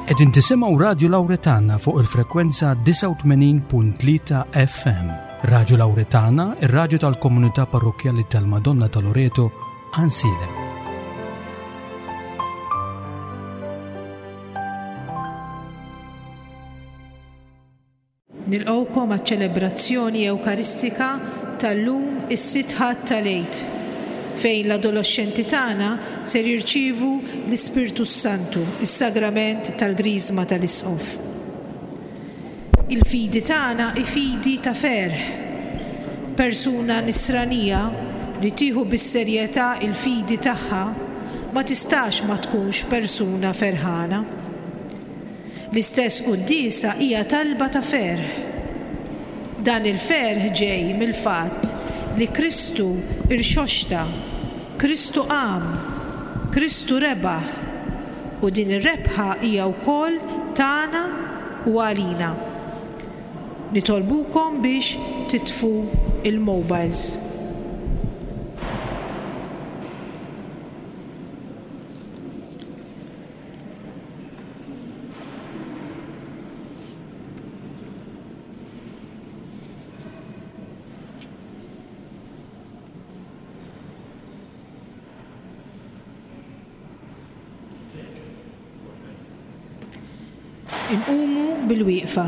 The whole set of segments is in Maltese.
Qegħdin tisimgħu Radju Lawretana fuq il-frekwenza 89.3 FM. Radju Lawretana, ir-radju tal-komunità parrokkjali tal-Madonna ta' Loreto, Għansielem. Nilqgħukom għaċ-ċelebrazzjoni Ewkaristika tal-lum is-Sitt Ħadd tal-Għid, fejn l-adoloxxenti tagħna ser jirċievu l-Ispirtu s-Santu, is-Sagrament tal-Griżma tal-Isqof. Il-fidi tagħna hi fidi ta' ferħ. Persuna Nisranija li tieħu bis-serjetà l-fidi tagħha ma tistax ma tkunx persuna ferħana. L-istess quddiesa hija talba ta' ferħ. Dan il-ferħ ġej mill-fatt li Kristu rxoxta, Kristu qam, Kristu rebaħ, u din ir-rebħa hija wkoll tagħna u għalina. Nitolbukom biex titfu l-mobiles. Inqumu bil-wieqfa.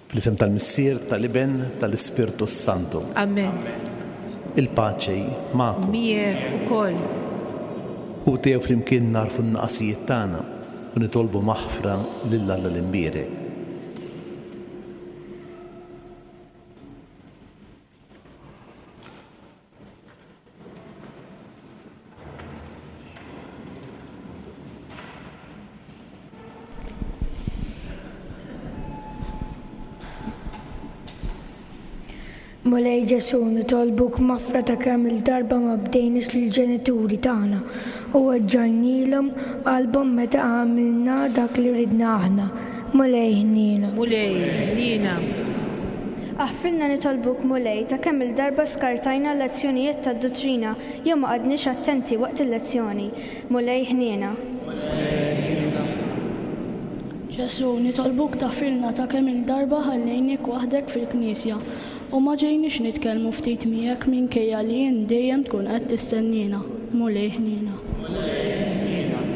Fl-isem tal-Missier, tal-Iben, tal-Ispirtu s-Santu. Amen. Il-paċi magħkom. Miegħek ukoll. Ħuti ejjew flimkien nagħrfu n-nuqqasijiet tagħna u nitolbu maħfra lil Alla l-Imbierek. Mulej Ġesù, nitolbuk maħfra ta' kemm-il darba ma bdejniex lill-ġenituri tagħna u weġġajnielhom qalbhom meta għamilna dak li ridna aħna. Mulej ħniena. Mulej ħniena. Aħfrilna nitolbuk, Mulej, ta' kemm-il darba skartajna l-lezzjonijiet tad-duttrina jew ma qgħadniex attenti waqt il-lezzjoni. Mulej ħniena. Mulej ħniena. Ġesù, nitolbuk taħfrilna ta' kemm-il darba ħallejniek waħdek fil-knisja u ma ġejniex nitkellmu ftit miegħek minkejja li int dejjem tkun qed tistenniena. Mulej ħniena. Mulej ħniena.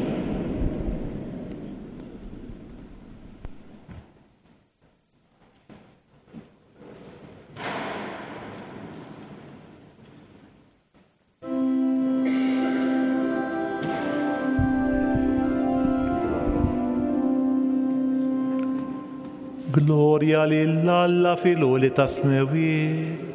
Glorja lil Alla fil-għoli tas-smewwiet.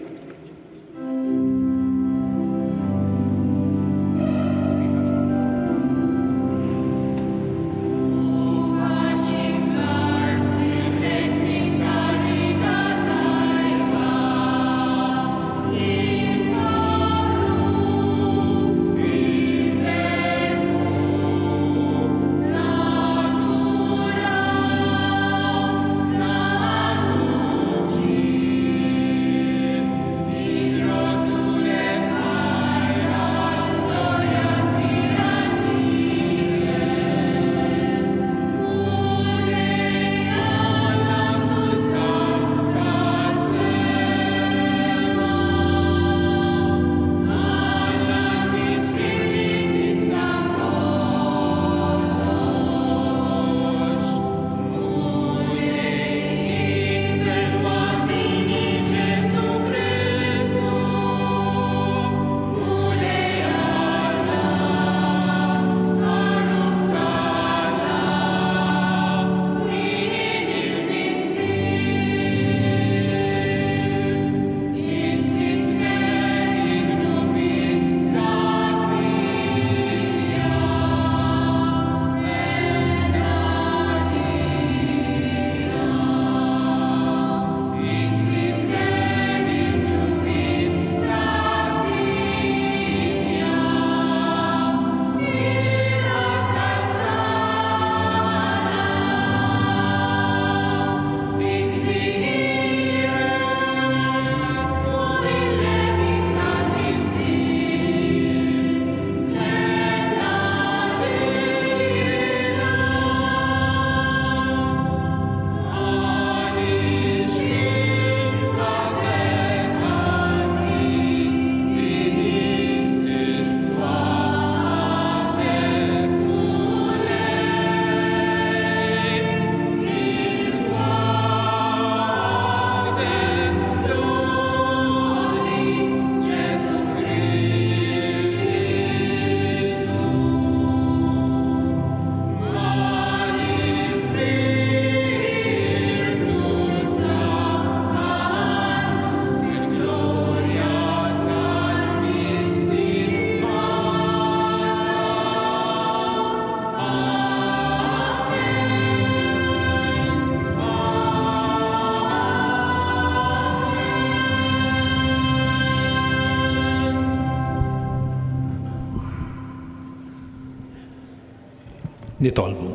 Nitolbu.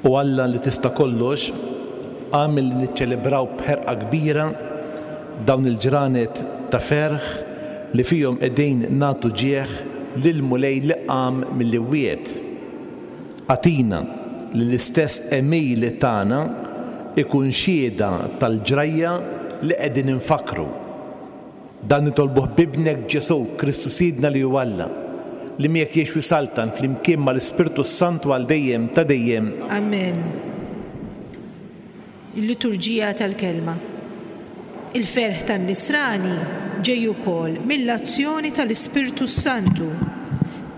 O Alla li tista' kollox, agħmel li niċċelebraw b'ħerqa kbira dawn il-ġranet ta' ferħ li fihom qegħdin nagħtu ġieħ lill-Mulej li qam mill-imwiet. Agħtina li l-istess għemil tagħna jkun xhieda tal-ġrajja li qegħdin infakkru. Dan nitolbuh b'Ibnek Ġesù, Kristu Sidna li hu Alla. Li miegħek jgħix u jsaltan flimkien mal-Ispirtu s-Santu għal dejjem ta' dejjem. Amen. Il-Liturġija tal-Kelma. Il-ferħ tan-Nisrani ġej ukoll mill-azzjoni tal-Ispirtu s-Santu.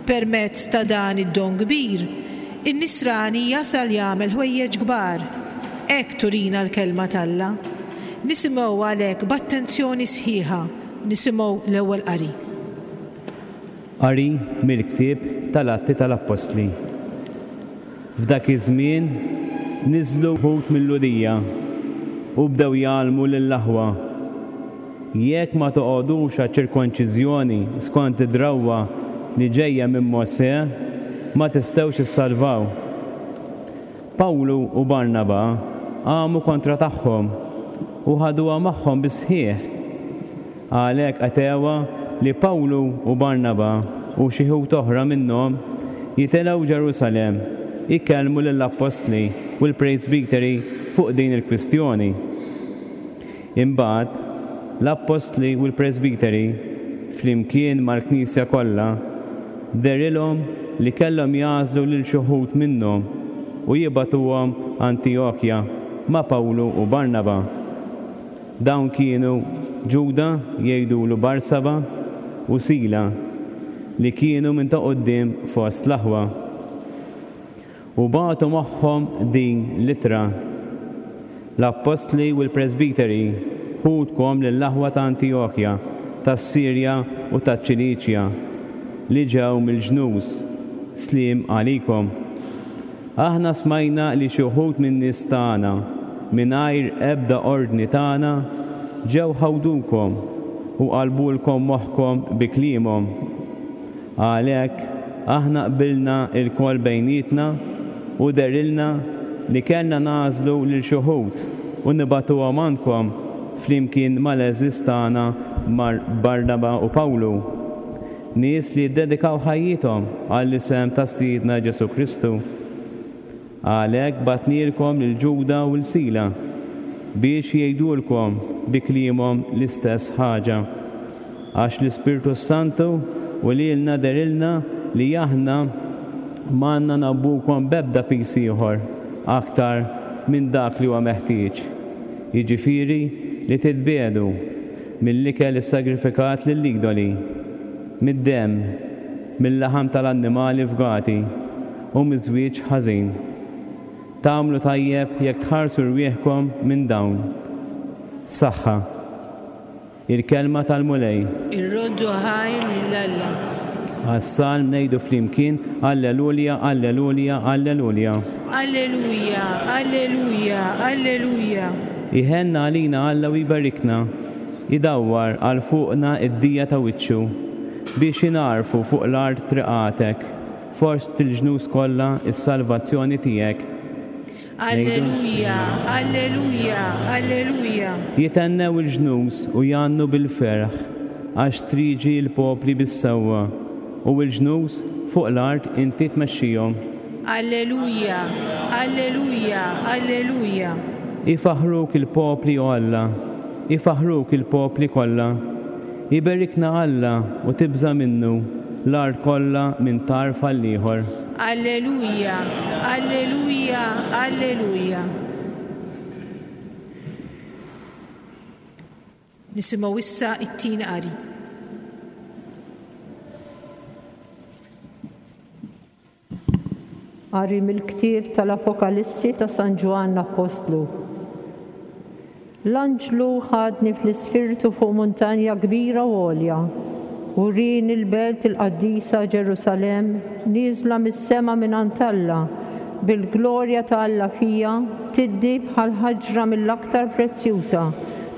Permezz ta' dan id-don kbir, in-Nisrani jasal jagħmel ħwejjeġ kbar. Hekk turina l-Kelma t'Alla. Nisimgħu għalhekk b'attenzjoni sħiħa, nisimgħu l-ewwel qari. Qari mill-ktieb tal-Atti tal-Appostli. F'dak iż-żmien niżlu wħud mil-Lhudija u bdew jgħallmu lill-aħwa, Jekk ma toqogħdux għaċ-ċirkonċiżjoni skont id-drawwa li ġejja minn Mosè, ma tistgħux issalvaw. Pawlu u Barnaba qamu kontra tagħhom u ħaduha magħhom bis-sħiħ. Għalhekk qatgħuha li Pawlu u Barnaba u xi ħut oħra minnhom jitilgħu Ġerusalemm ikellmu lill-appostli u l-presbiteri fuq din il-kwistjoni. Imbagħad, l-appostli u l-presbiteri, flimkien mal-knisja kollha, dehrilhom li kellhom jagħżlu lil xi wħud minnhom u jibagħtuhom Antijokja ma' Pawlu u Barnaba. Dawn kienu Ġuda, jgħidulu Barsaba, u Sila, li kienu minn ta' quddiem fost l-aħwa. U bagħtu magħhom din l-ittra, L-appostli u l-presbiteri, ħutkom lill-aħwa ta' Antijokja, tas-Sirja u taċ-Ċiliċja, li ġew mill-ġnus, sliem għalikom. Aħna smajna li xi wħud min-nies tagħna, mingħajr ebda ordni tagħna, ġew ħawdukom u qalbulkom moħħkom bi kliemhom. Għalhekk, aħna qbilna lkoll bejnietna u dehrilna li kellna nagħżlu lil xi wħud u nibagħtuhom għandkom flimkien mal-għeżież tagħna Barnaba u Pawlu. Nies li ddedikaw ħajjithom għall-isem ta' Sidna Ġesù Kristu. Għalhekk bgħatnielkom lil Ġuda u 'l Sila biex jgħidulkom bi kliemhom l-istess ħaġa. Għax l-Ispirtu s-Santu u lilna dehrilna li aħna m'għandna ngħabbukom b'ebda piż ieħor aktar minn dak li huwa meħtieġ, jiġifieri li titbiegħdu mill-ikel issagrifikat lill-idoli, mid-demm, mil-laħam tal-annimali fgati, u miż-żwieġ ħażin. Tagħmlu tajjeb jekk tħarsu rwieħkom minn dawn. Saħħa. Il-Kelma tal-Mulej. Irroddu ħajr lil Alla. Għas-Salm ngħidu flimkien, Allelulia, Allelulia, Allelulia. Alleluja, Alleluja, Alleluja. Iħenn għalina Alla u jberikna, idawwar għal fuqna d-dija ta' wiċċu, biex ingħarfu fuq l-art triqatek, fost il-ġnus kollha s-salvazzjoni tiegħek. Alleluja, Alleluja, Alleluja. Jithennew il-ġnus u jgħannu bil-ferħ, għax triġi l-popli bis-sewwa, u l-ġnus fuq l-art inti tmexxihom. Alleluja, Alleluja, Alleluja. Ifaħħruk il-popli, o Alla, ifaħħruk il-popli kollha. Iberikna Alla u tibża' minnu l-art kollha minn tarf għall-ieħor. Alleluja, Alleluja, Alleluja. Nisimgħu issa t-tieni qari. Qari mill-ktieb tal-Apokalissi ta' San Ġwann Appostlu. L-anġlu ħadni fl-ispirtu fuq muntanja kbira u għolja, u wrieni l-belt il-qaddisa Ġerusalemm nieżla mis-sema mingħand Alla, bil-glorja ta' Alla fiha, tiddi bħal ħaġra mill-aktar prezzjuża,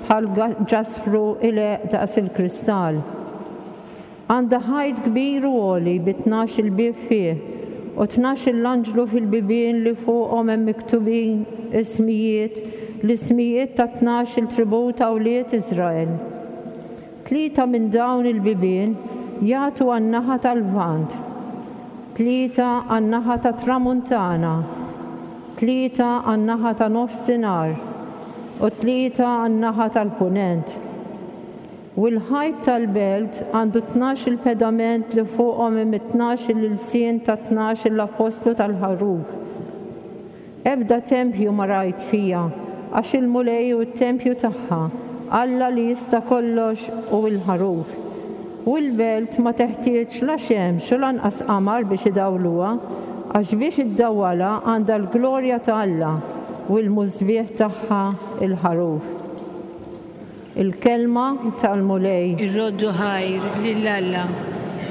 bħal ġaspru ileqq daqs il-kristall. Għandha ħajt kbir u għoli bi tnax-il bieb fih, u tnax-il anġlu fil-bibien li fuqhom hemm miktubin ismijiet, l-ismijiet tat-tnax-il tribù ta' wlied Iżrael. Tlieta minn dawn il-bibien jagħtu għan-naħa tal-Lvant, tlieta għan-naħa tat-Tramuntana, tlieta għan-naħa ta' Nofsinhar, u tlieta għan-naħa tal-Punent. U l-ħajt tal-belt għandu 12-il pedament li fuqhom hemm it-tnax-il ilsien tat-tnax-il appostlu tal-Ħaruf. Ebda tempju ma rajt fiha, għax il-Mulej hu t-tempju tagħha, Alla li jista' kollox u l-Ħaruf. U l-belt ma teħtieġ la xemx u lanqas qamar biex idawluha, għax biex iddawwalha għandha l-glorja ta' Alla, u l-musbieħ tagħha l-Ħaruf. Il-Kelma tal-Mulej. Irroddu ħajr lil Alla.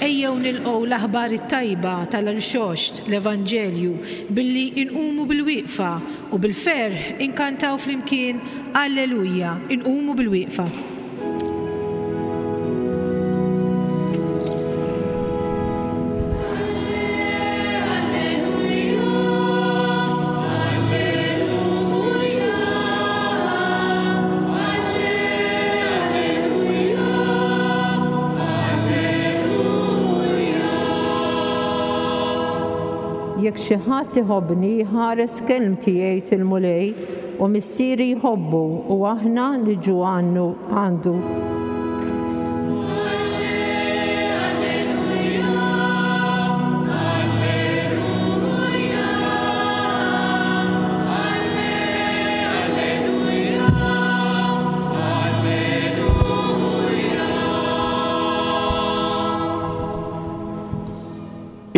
Ejjew nilqgħu l-aħbar it-tajba tal-Irxoxt, l-Evanġelju, billi inqumu bilwieqfa u bil-ferħ inkantaw flimkien Alleluja. Inqumu bilwieqfa. Jekk xi ħadd iħobbni jħares kelmti jgħid il-Mulej u Missieri jħobbu u aħna niġu għandu.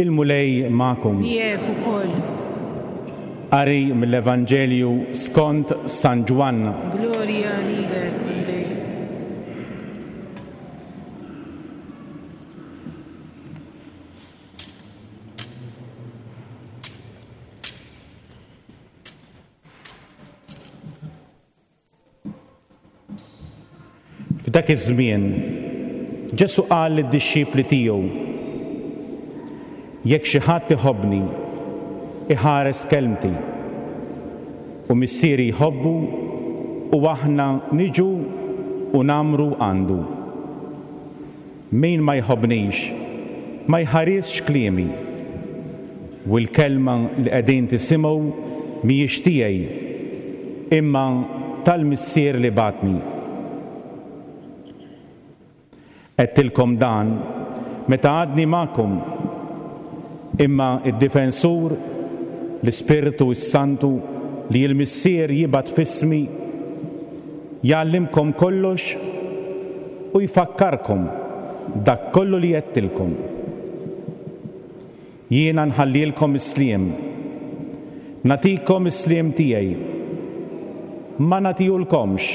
Il-Mulej magħkom. Miegħek ukoll. Qari mill-Evanġelju skont San Ġwann. Glorja lilek, Mulej. F'dak iż-żmien, Ġesù qal lid-dixxipli tiegħu, Jekk xi ħadd iħobbni, iħares kelmti, u Missieri jħobbu u aħna niġu u ngħammru għandu. Min ma jħobbnix, ma jħarisx kliemi. U l-kelma li qegħdin tisimgħu mhijiex tiegħi, imma tal-Missier li bagħatni. Għedtilkom dan meta għadni magħkom. Imma d-Difensur, l-Ispirtu s-Santu, li l-Missier jibgħat f'ismi, jgħallimkom kollox u jfakkarkom dak kollu li għedtilkom. Jiena nħallilkom is-sliem. Nagħtikom is-sliem tiegħi. Ma nagħtihulkomx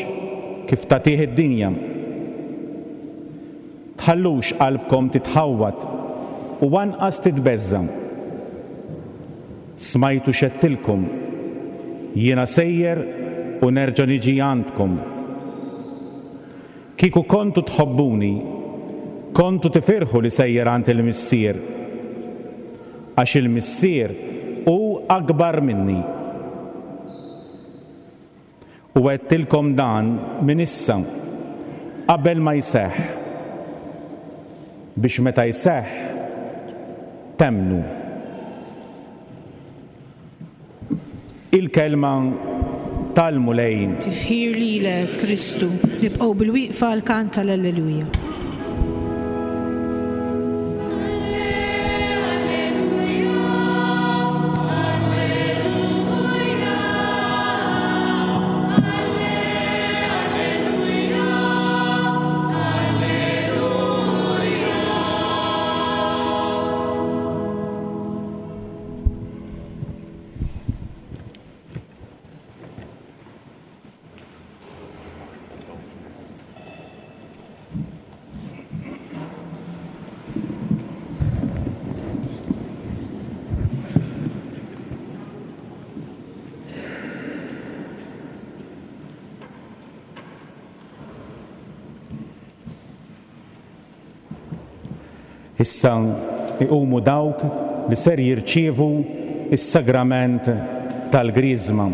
kif tagħtih id-dinja. Tħallux qalbkom titħawwad u anqas titbeżża'. Smajtu x'għedtilkom, 'Jiena sejjer u nerġa' niġi għandkom. Kieku kontu tħobbuni, kontu tifirħu li sejjer għand il-Missier, għax il-Missier hu akbar minni. U għedtilkom dan minn issa, qabel ma jseħħ, biex meta jseħħ, temmnu. Il-Kelma tal-Mulej. Tifħir lilek, Kristu. Nibqgħu bilwieqfa għall-kant tal-Alleluja. Issa iqumu dawk li ser jirċievu s-sagrament tal-Griżma.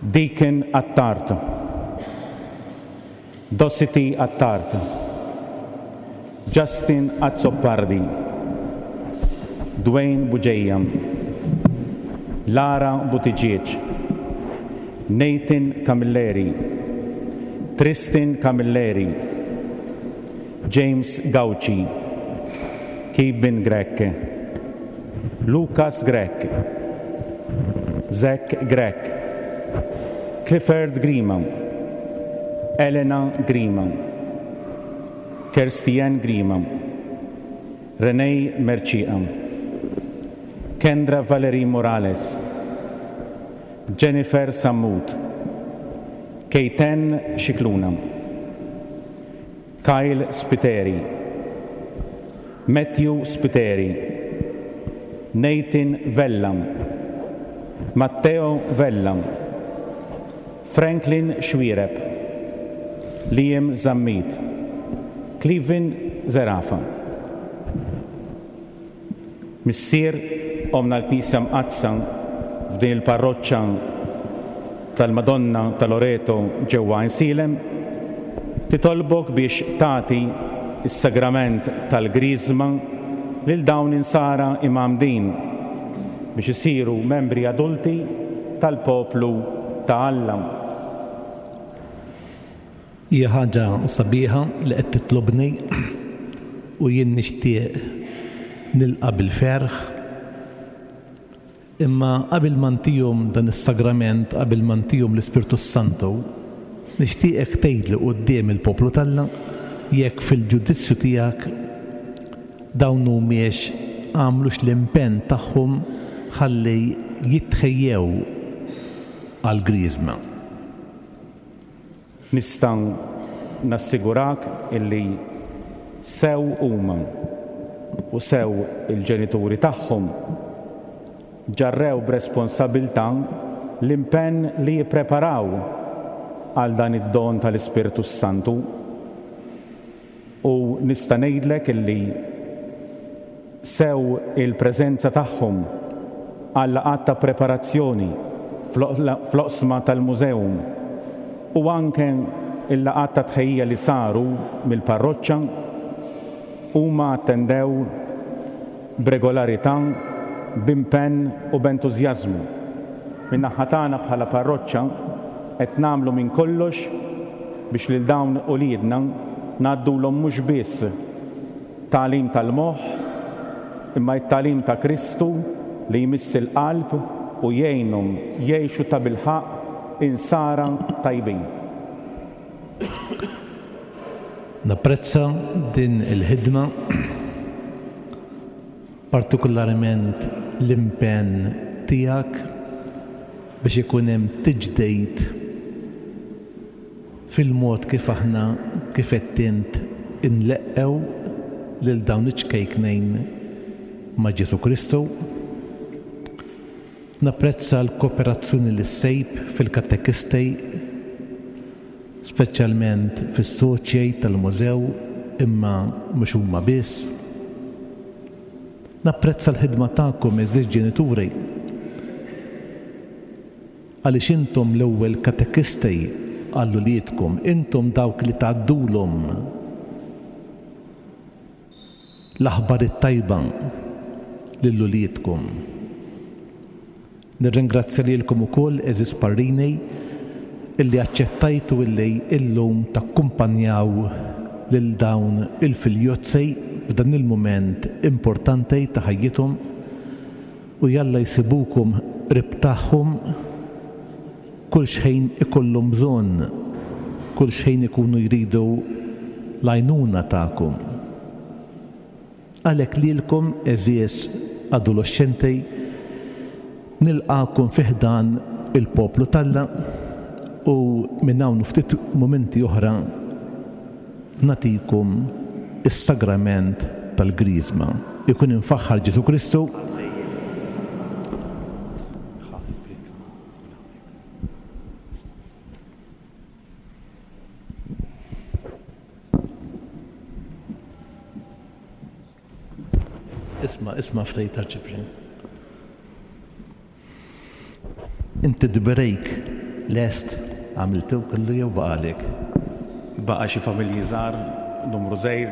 Deacon Attard. Dosity Attard. Justin Azzopardi. Dwayne Bugeja. Lara Buttigieg. Nathan Camilleri. Tristan Camilleri, James Gauci, Kevin Grech, Lucas Grech, Zach Grech, Clifford Grima, Elena Grima, Kirstian Grima, Renee Mercieca, Kendra Valerie Morales, Jennifer Sammut, Keiten Scicluna, Kyle Spiteri, Matthew Spiteri, Nathan Vella, Matteo Vella, Franklin Xuereb, Liam Zammit, Clevin Zerafa. Missier, Ommna l-Knisja Mqaddsa f'din il-parroċċa tal-Madonna ta' Loreto ġewwa Għajnsielem, titolbok biex tagħti s-sagrament tal-Griżma lil dawn l-insara imgħammdin biex isiru membri adulti tal-poplu ta' Alla. Hija ħaġa sabiħa li qed titlobni u jien nixtieq nilqa' bil-ferħ. Imma qabel ma ntihom dan is-sagrament, qabel ma ntihom l-Ispirtu s-Santu, nixtieqek tgħidli quddiem il-poplu t'Alla jekk fil-ġudizzju tiegħek dawn humiex għamlux l-impenn tagħhom ħalli jitħejjew għall-Griżma. Nista' nassigurak illi sew huma u sew il-ġenituri tagħhom ġarrew b'responsabilità l-impenn li jippreparaw għal dan id-don tal-Ispirtu s-Santu. U nista' ngħidlek illi sew il-preżenza tagħhom għal-laqgħat ta' preparazzjoni fl-oqsma tal-Museum u anke l-laqgħat ta' tħejjija li saru mill-parroċċa, huma attendew b'regolarità, b'impenn u b'entużjażmu. Min-naħa tagħna bħala parroċċa qed nagħmlu minn kollox biex lil dawn uliedna ngħaddulhom mhux biss tagħlim tal-moħħ, imma t-tagħlim ta' Kristu li jmiss il-qalb u jgħinhom jgħixu tabilħaqq insara tajbin. Napprezza din il-ħidma, partikularment l-impenn tiegħek biex ikun hemm tiġdid fil-mod kif aħna, kif għedt int, inleqqgħu lil dawn iċ-ċkejknejn ma' Ġesù Kristu. Napprezza l-kooperazzjoni li ssejb fil-katekisti, speċjalment fis-soċjei tal-mużew, imma mhux huma biss. Napprezza l-ħidma tagħkom għeżież ġenituri. Għaliex intom l-ewwel katekisti għal uliedkom, intom dawk li tgħaddulhom l-aħbar it-tajba lil uliedkom. Nirringrazzja lilkom ukoll, għeżież parrini, illi aċċettajtu illi illum takkumpanjaw lil dawn il-filjozzi f'dan il-mument importanti ta' ħajjithom. U jalla jsibukom qrib tagħhom kull xħin ikollhom bżonn, kull xħin ikunu jridu l-għajnuna tagħkom. Għalhekk lilkom, għeżież adoloxxenti, nilqagħkom fi ħdan il-poplu t'Alla u minn hawn u ftit mumenti oħra nagħtikom is-sagrament tal-Griżma. Ikun imfaħħar Ġesù Kristu. Isma', isma' ftit Arċipriet. Inti d-break lest għamiltu kollu jew baqagħlek? Baqa' xi familji żgħar, numru żgħir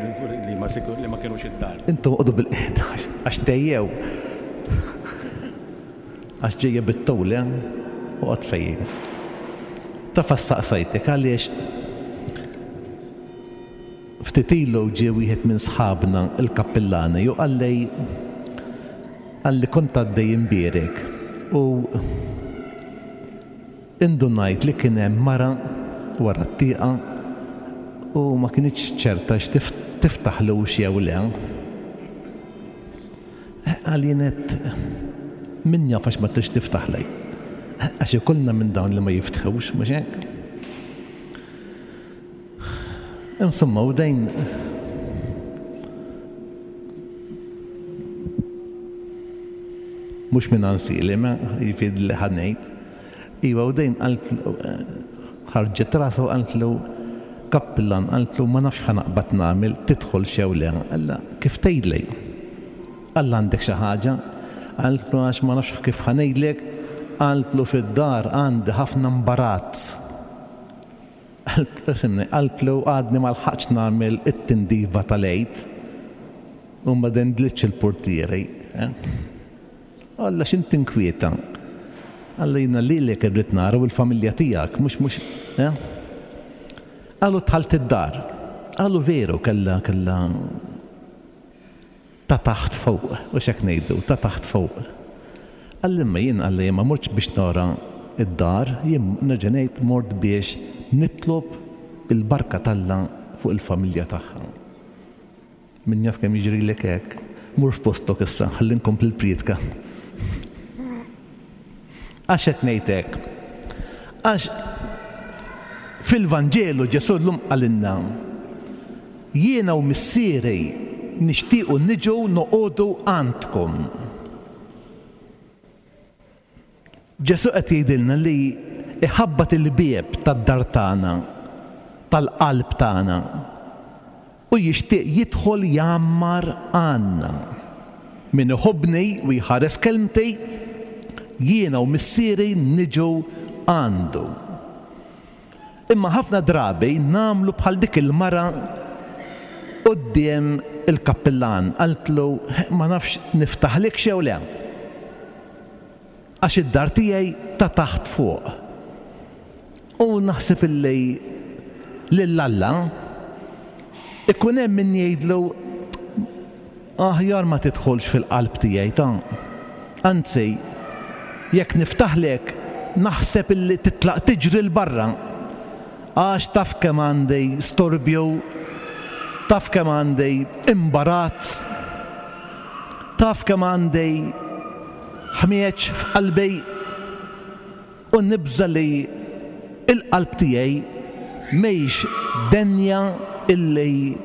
li ma li ma kinux id-dar. Intom oqogħdu bil-qiegħda għax tgħejjew. Għax ġejja bit-tul, eh? Oqgħod fejn. Taf għax saqsajtek għaliex? Ftit ilu ġie wieħed minn sħabna l-kappillani u qalli qalli kont għaddej imbierek u indunajt li kien hemm mara wara t-tieqa u ma kinitx ċerta x'tiftaħlux jew le. Qal jien għedt min jaf għax ma tridx tiftaħli. Għax ikollna minn dawn li ma jiftħux, mhux hekk? Insomma, u dejn mhux minn ansili, ma jiġifieri li ħa ngħid. Iva, u dejn qalt ħarġet rasha u qaltlu kappillan qaltlu ma nafx x'ħa naqbad nagħmel, tidħolx jew le. Qallha, kif tgħidli? Qallha għandek xi ħaġa? Qaltlu għax ma nafx kif ħa ngħidlek, qaltlu fid-dar għandi ħafna mbarazz. Qaltlu, qaltlu għadni ma lħaqtx nagħmel it-tindifa tal-Għid u ma dendlitx il-purtieri. Alla x'int tinkwieta? Alla jiena lilek irrid nara u l-familja tiegħek, mhux mhux eh? Qalu dħalt id-dar. Qalu veru kellha kellha ta' taħt fuq, u x'hekk ngħidu, ta' taħt fuq. Qalli imma jien qalli jien ma mortx biex nara d-dar, jien nerġa' ngħid mort biex nitlob il-barka t'Alla fuq il-familja tagħha. Min jaf kemm jiġrilek hekk. Mur f'postok issa, ħalli nkompli l-prietka. Għax qed ngħid hekk? Għax fil-Vanġelu Ġesù llum qalilna, Jiena u Missieri nixtiequ niġu noqogħdu għandkom. Ġesù qed jgħidilna li jħabbat il-bieb tad-dar tagħna, tal-qalb tagħna, u jixtieq jidħol jgħammar għandna. Min iħobbni u jħares kelmti, jiena u Missieri niġu għandu. Imma ħafna drabi nagħmlu bħal dik il-mara quddiem il-kappillan, qaltlu ma nafx niftaħlikx jew le. Għax id-dar tiegħi ta' taħt fuq. U naħseb illi lil Alla ikun hemm min jgħidlu aħjar ma tidħolx fil-qalb tiegħi ta'. Anzi, jekk niftaħlek naħseb illi titlaq tiġri 'l barra għax taf kemm għandi storbju, taf kemm għandi imbarazz, taf kemm għandi ħmieġ f'qalbi u nibża' li l-qalb tiegħi mhix denja illi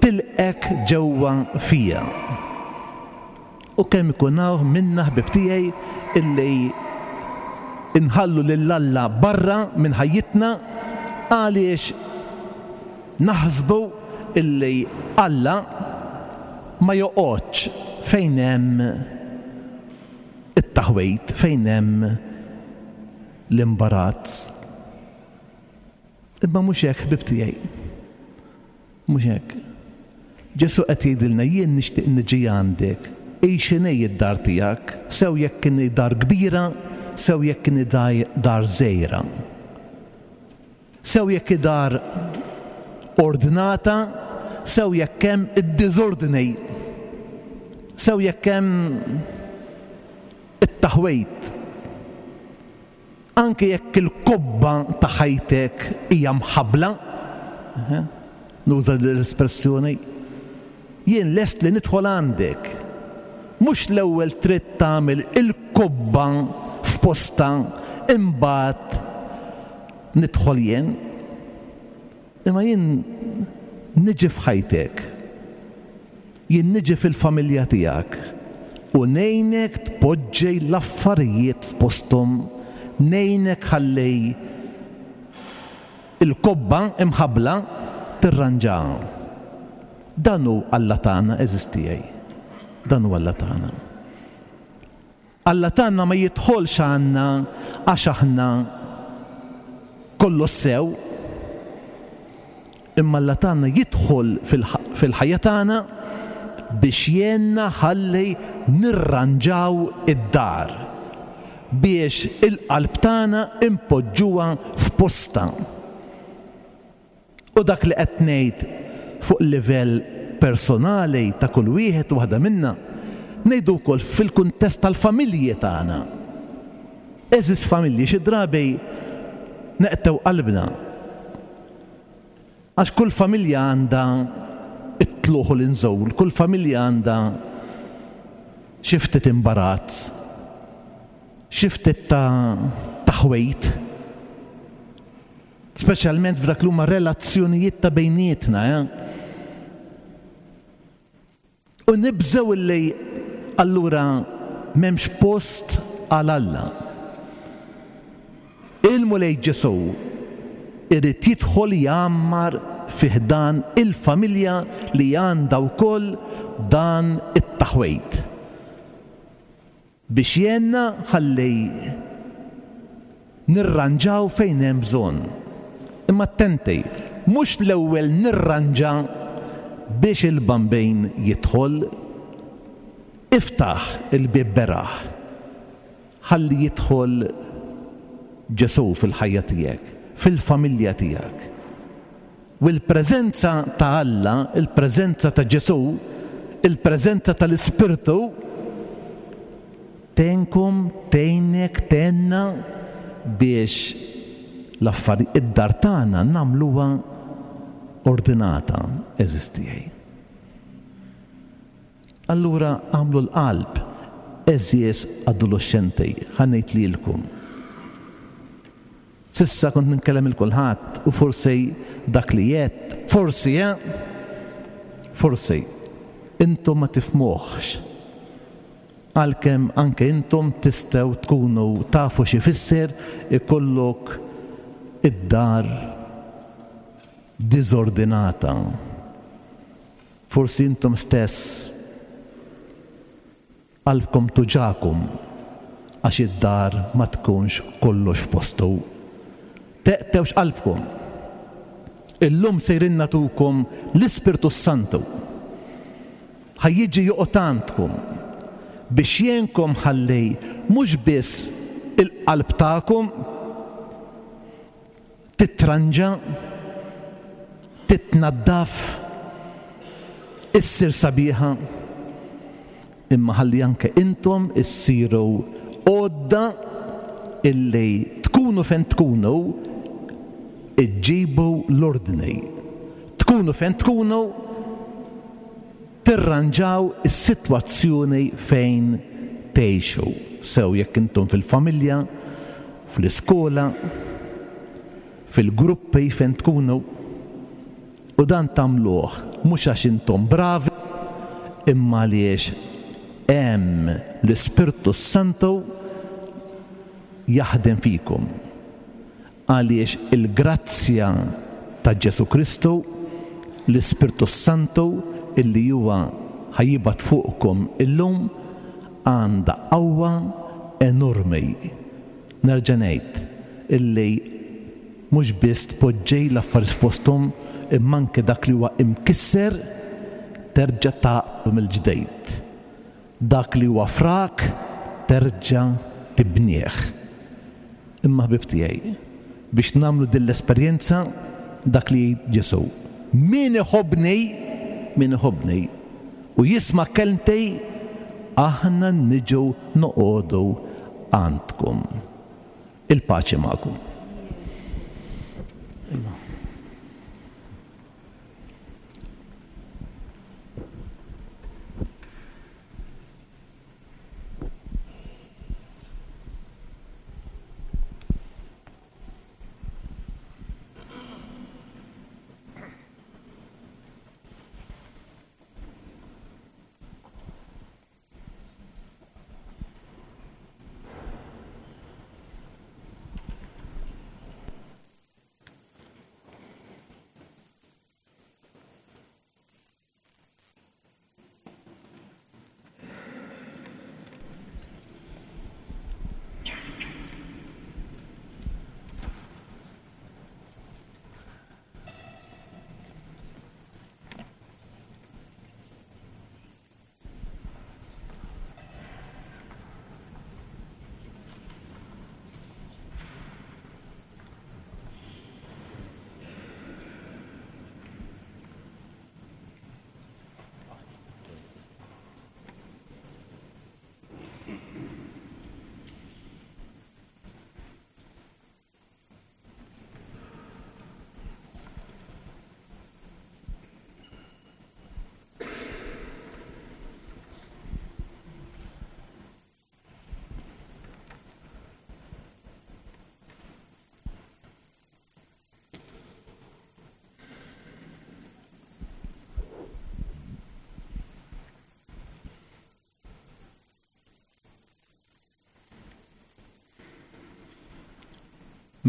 tilqgħek ġewwa fija. U kemm ikun hawn minna ħbieb tiegħi illi nħallu lil Alla barra minn ħajjitna għaliex naħsbu illi Alla ma joqgħodx fejn hemm it-taħwid, fejn hemm l-imbarazz. Imma mhux hekk ħbieb tiegħi. Mhux hekk. Ġesù qed jgħidilna jien nixtieq niġi għandek, hi x'inhi d-dar tiegħek, sew jekk inhi dar kbira, sew jekk inhi dar żgħira. Sew jekk hi dar ordnata, sew jekk hemm id-diżordni. Sew jekk hemm it-taħwid. Anke jekk il-kobba ta' ħajtek hija mħabbla, nuża din l-espressjoni, jien lest li nidħol għandek. Mhux l-ewwel trid tagħmel il-kobba f'postha imbagħad nidħol jien. Imma jien niġi f'ħajtek. Jien niġi fil-familja tiegħek u ngħinek tpoġġi l-affarijiet f'posthom, ngħinek ħalli l-kobba imħabbla tirranġaha. Dan hu Alla tagħna, għeżież tiegħi. Dan hu Alla tagħna. Alla tagħna ma jidħolx għandna għax aħna kollox sew, imma Alla tagħna jidħol fil-ħajja tagħna biex jgħinna ħalli nirranġaw id-dar, biex il-qalb tagħna npoġġuha f'postha. U dak li qed ngħid fuq livell personali ta' kull wieħed u waħda minna, ngħidu wkoll fil-kuntest tal-familji tagħna. Għeżież familji, xi drabi neqtgħu qalbna għax kull familja għandha t-tlugħ u l-inżul, kull familja għandha xi ftit imbarazz, xi ftit ta' taħwid. Speċjalment f'dak li huma relazzjonijiet ta' bejnietna, eh? U nibżgħu illi allura m'hemmx post għal Alla. Il-Mulej Ġesù irid jidħol jgħammar fi ħdan il-familja li għandha wkoll dan it-taħwid. Biex jgħinna ħalli nirranġaw fejn hemm bżonn. Imma attenti, mhux l-ewwel nirranġa biex il-Bambin jidħol. Iftaħ il-bieb beraħ ħalli jidħol Ġesù fil-ħajja tiegħek, fil-familja tiegħek. U l-preżenza ta' Alla, il-preżenza ta' Ġesù, il-preżenza tal-Ispirtu tgħinkom, tgħinek, tgħinna biex l-affari, id-dar tagħna nagħmluha ordinata, għeżież tiegħi. Allura agħmlu l-qalb, għeżież adoloxxenti, ħa ngħid lilkom. S'issa kont nitkellem 'il kulħadd u forsi dak li għedt, forsi, eh! Forsi, intom ma tifhmuhx. Għalkemm anke intom tistgħu tkunu tafu x'ifisser ikollok id-dar diżordinata. Forsi intom stess Qalbkom tuġagħkom għax id-dar ma tkunx kollox f'postu. Teqtgħux qalbkom! Illum sejrin nagħtukom l-Ispirtu s-Santu. Ħa jiġi joqgħod għandkom biex jgħinkom ħalli mhux biss il-qalb tagħkom titranġa, titnaddaf, issir sabiħa, imma ħalli anke intom issiru għodda illi tkunu fejn tkunu iġġibu l-ordni. Tkunu fejn tkunu tirranġaw is-sitwazzjoni fejn tgħixu, sew jekk intom fil-familja, fl-iskola, fil-gruppi fejn tkunu. U dan tagħmluh mhux għax intom bravi, imma għaliex hemm l-Ispirtu s-Santu jaħdem fikom. Għaliex il-grazzja ta' Ġesù Kristu, l-Ispirtu s-Santu illi huwa ħa jibgħat fuqkom illum, għandha qawwa enormi. Nerġa' ngħid illi mhux biss tpoġġi l-affarijiet f'posthom imma anke dak li huwa imkisser terġa' tgħaqqdu mill-ġdid. Dak li huwa frak terġa' tibnih. Imma ħbieb tiegħi, biex nagħmlu din l-esperjenza, dak li jgħid Ġesù, Min iħobbni, min iħobbni, u jisma' kelmti, aħna niġu noqogħdu għandkom. Il-paċi magħkom.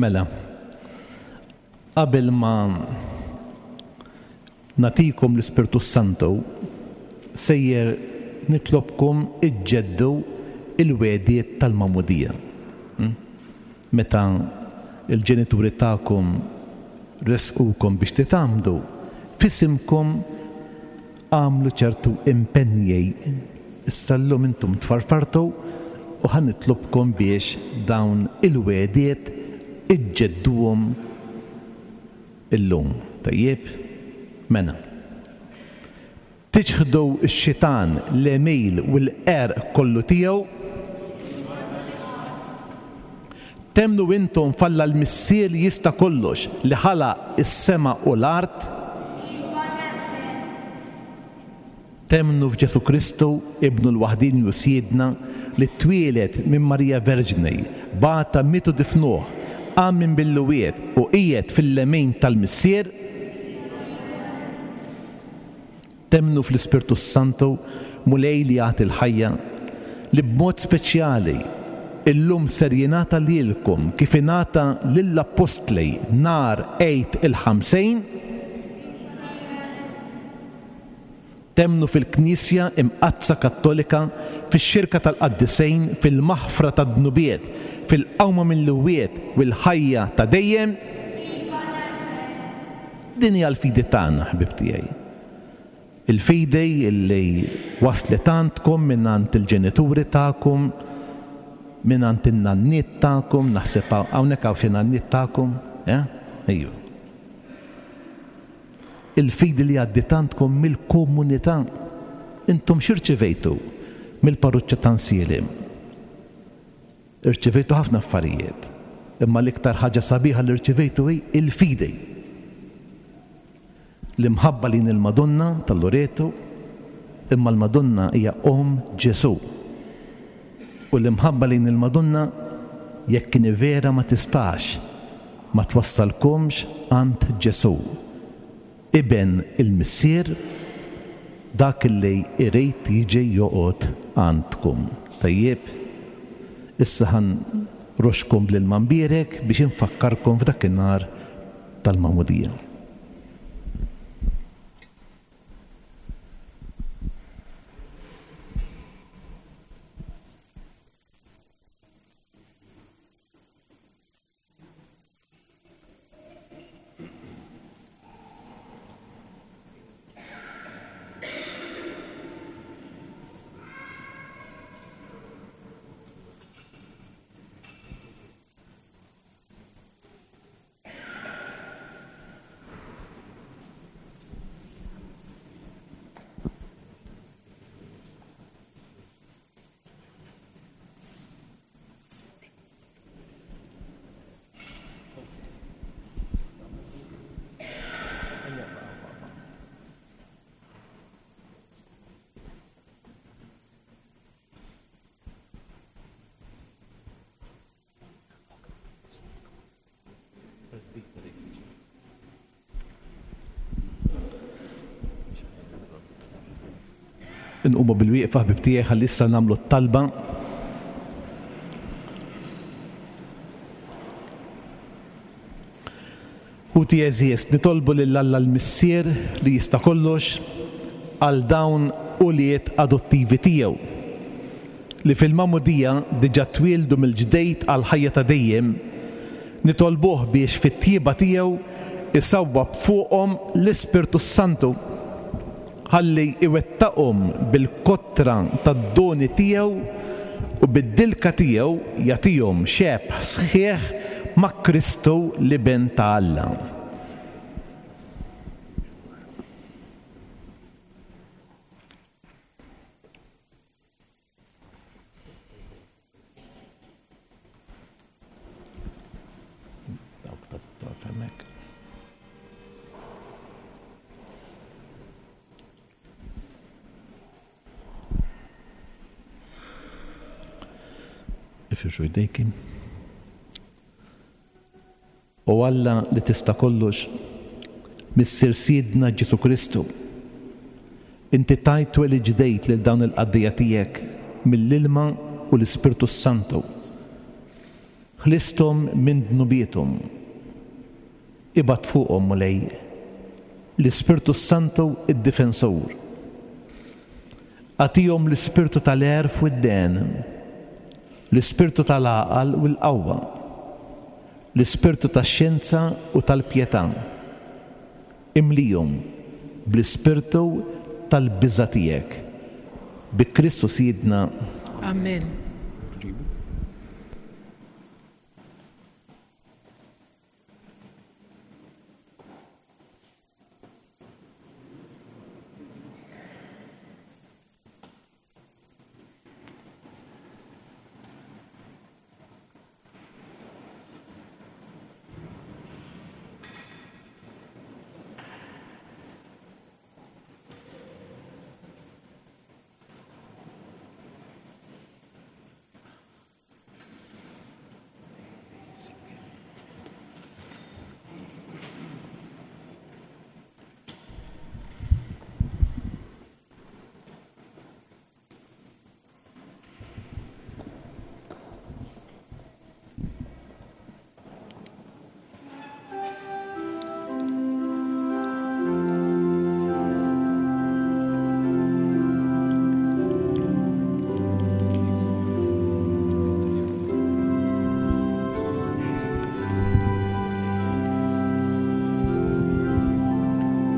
Mela, qabel ma nagħtikom l-Ispirtu s-Santu, sejjer nitlobkom iġġeddu l-wegħdiet tal-magħmudija. Meta l-ġenituri tagħkom ressqukom biex titgħammdu, f'isimkom għamlu ċertu impenji. Issa llum intom tfarfartu u ħa nitlobkom biex dawn il-wegħdiet iġġedduhom illum. Tajjeb? Mela. Tiċħdu x-xitan, l-għemil u l-qerq kollu tiegħu? Temmnu intom f'Alla l-Missier li jista' kollox, li ħalaq is-sema u l-art? Iva nemmen. Temmnu f'Ġesù Kristu, Ibnu l-waħdieni u Sidna, li twieled minn Marija Verġni, bata, miet u difnuh, qam minn bil-lwiet u qiegħed fil-lemin tal-Missier? Temmnu fl-Ispirtu s-Santu, Mulej li jagħti l-ħajja, li b'mod speċjali illum ser jingħata lilkom kif ingħata lill-Appostli nhar Għid il-Ħamsin? Temmnu fil-Knisja Imqaddsa Kattolika, fix-xirka tal-qaddisejn, fil-maħfra tad-dnubiet, fil-qawma mill-imwiet u l-ħajja ta' dejjem? Din hija l-fidi tagħna, ħbieb tiegħi. Il-fidi li waslet għandkom mingħand il-ġenituri tagħkom, mingħand in-nanniet tagħkom, naħseb hawnhekk hawn xi nanniet tagħkom, eh? Ejju. Il-fidi li għaddiet għandkom mill-komunità. Intom x'irċivejtu mill-parruċċa ta' Nsielem? Irċivejtu ħafna affarijiet, imma l-iktar ħaġa sabiħa li rċivejtu hi l-fidi. L-imħabba lejn il-Madonna ta' Loreto, imma l-Madonna hija Omm Ġesù. U l-imħabba lejn il-Madonna, jekk inhi vera ma tistax ma twassalkomx għand Ġesù. Iben il-Missier, dak li jrid jiġi joqgħod għandkom. Tajjeb? Issa ħa nroxxkom bl-ilma mbierek biex infakkarkom f'dakinhar tal-Magħmudija. Inqumu bil-wieqfa ħbib tiegħi ħalli issa nagħmlu t-talba. Ħuti għeżież, nitolbu lil Alla l-Missier li jista' kollox għal dawn ulied adottivi tiegħu, li fil-magħmudija diġà twieldu mill-ġdeid għall-ħajja ta' dejjem, nitolbuh biex fit-tjieba tiegħu jsawwab fuqhom l-Ispirtu s-Santu, ħalli jwettaqhom bil-kotra tad-doni tiegħu u bid-dilka tiegħu jagħtihom xebh sħiħ ma' Kristu l-Iben ta' Alla. Ifirxu jdejki. O Alla li tista' kollox, Missier Sidna Ġesù Kristu, inti tajt twelid ġdejt lil dawn il-qaddejja tiegħek mill-ilma u l-Ispirtu s-Santu. Ħlisthom minn dnubiethom. Ibgħat fuqhom, Mulej, l-Ispirtu s-Santu d-Difensur. Agħtihom l-ispirtu tal-għerf u d-dehen, l-ispirtu tal-għaqal u l-qawwa, l-ispirtu tax-xjenza u tal-pjetà. Imlihom bl-ispirtu tal-biża' tiegħek. Bi Kristu Sidna. Amen.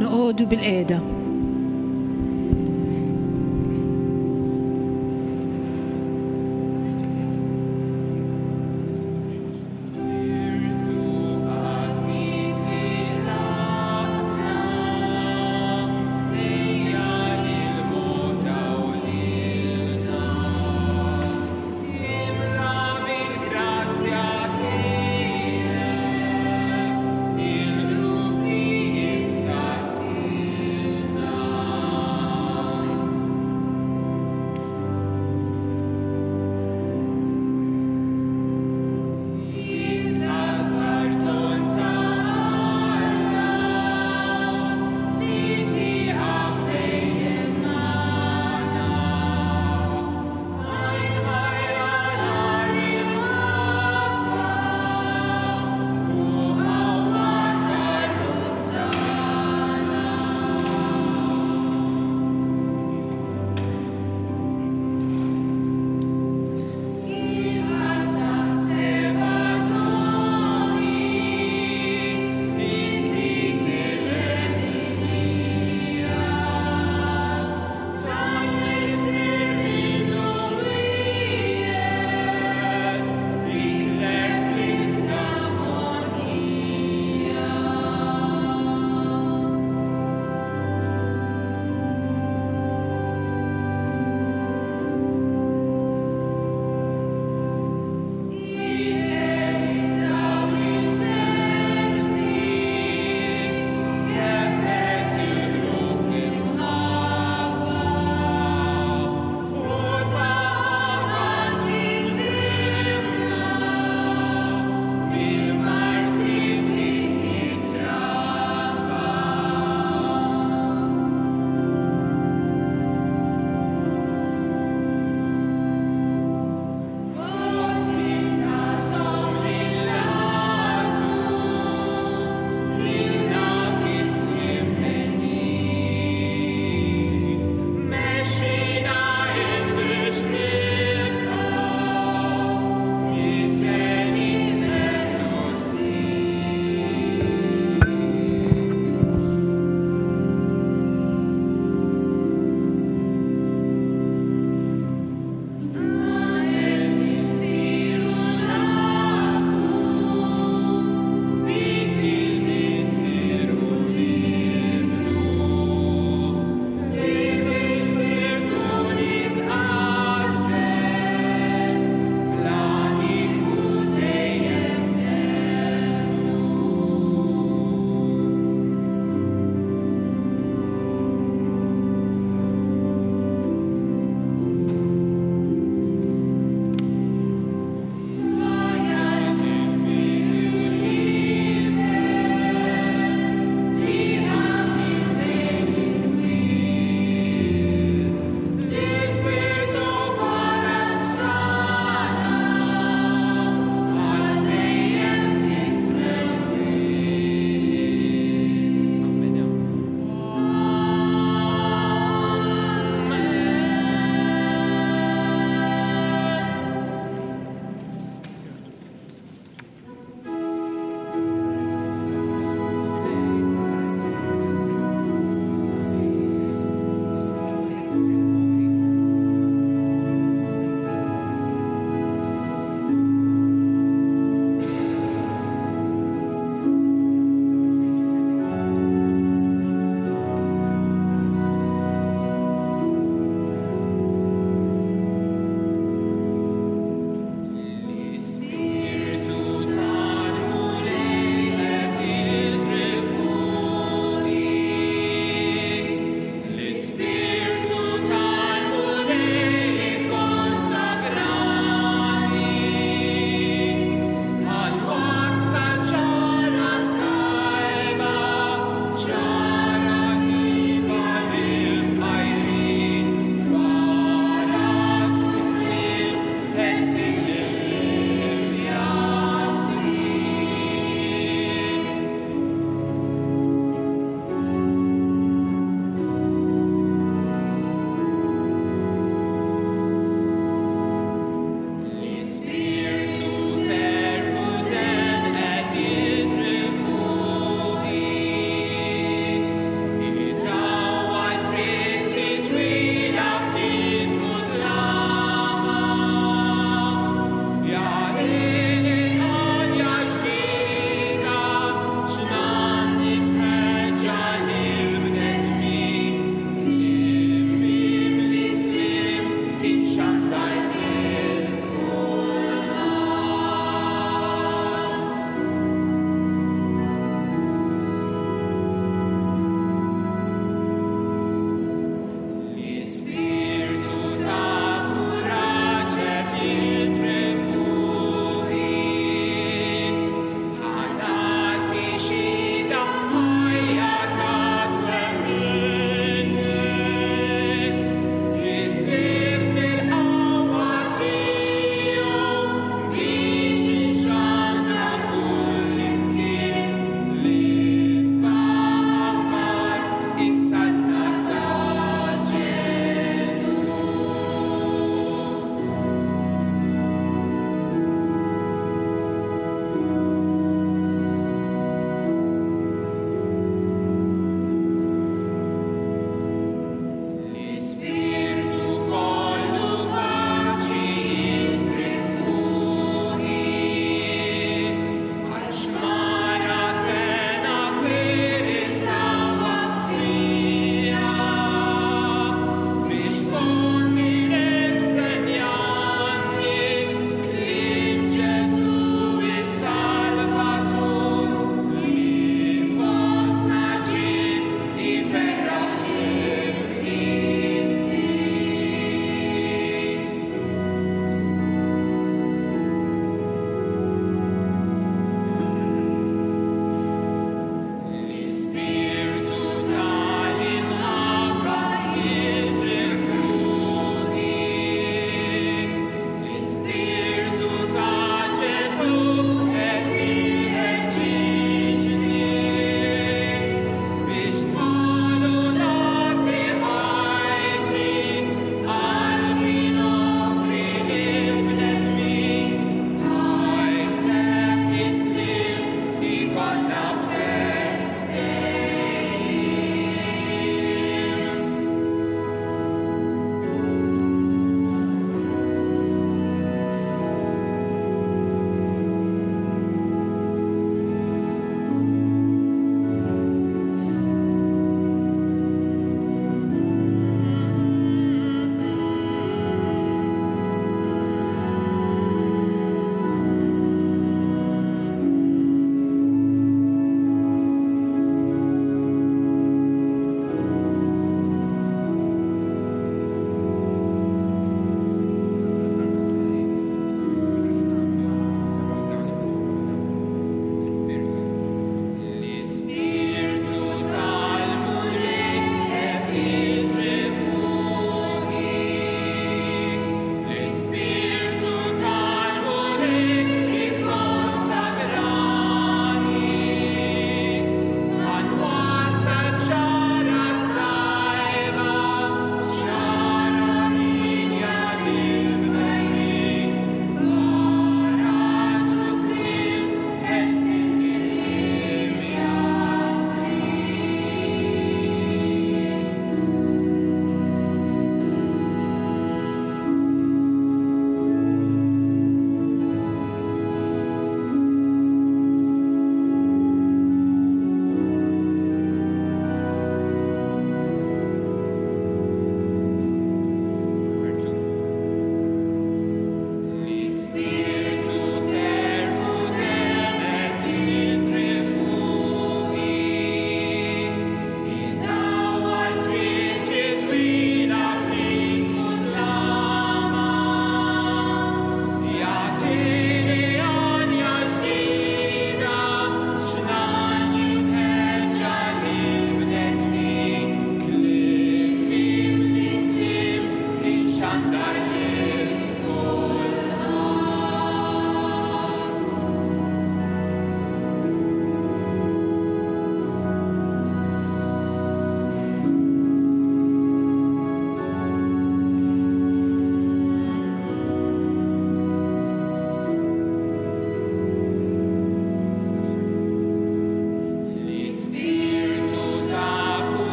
Noqogħdu bil-qiegħda.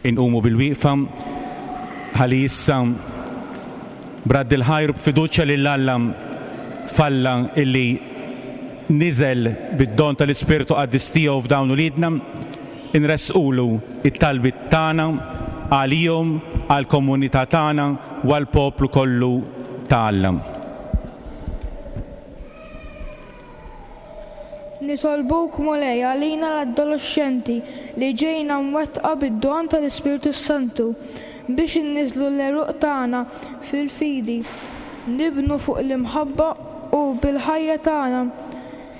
Inqumu bilwieqfa ħalli issa b'radd il-ħajr u b'fiduċja lil Alla f'Alla illi niżel bid-don tal-Ispirtu Qaddis tiegħu f'dawn uliedna, inressqulu t-talbiet tagħna għalihom, għall-komunità tagħna u għall-poplu kollu ta' Alla. Nitolbuk, Mulej, għalina l-adoloxxenti li ġejna mwettqa bid-don tal-Ispirtu s-Santu, biex inniżżlu l-għeruq tagħna fil-fidi, nibnu fuq l-imħabba u bil-ħajja tagħna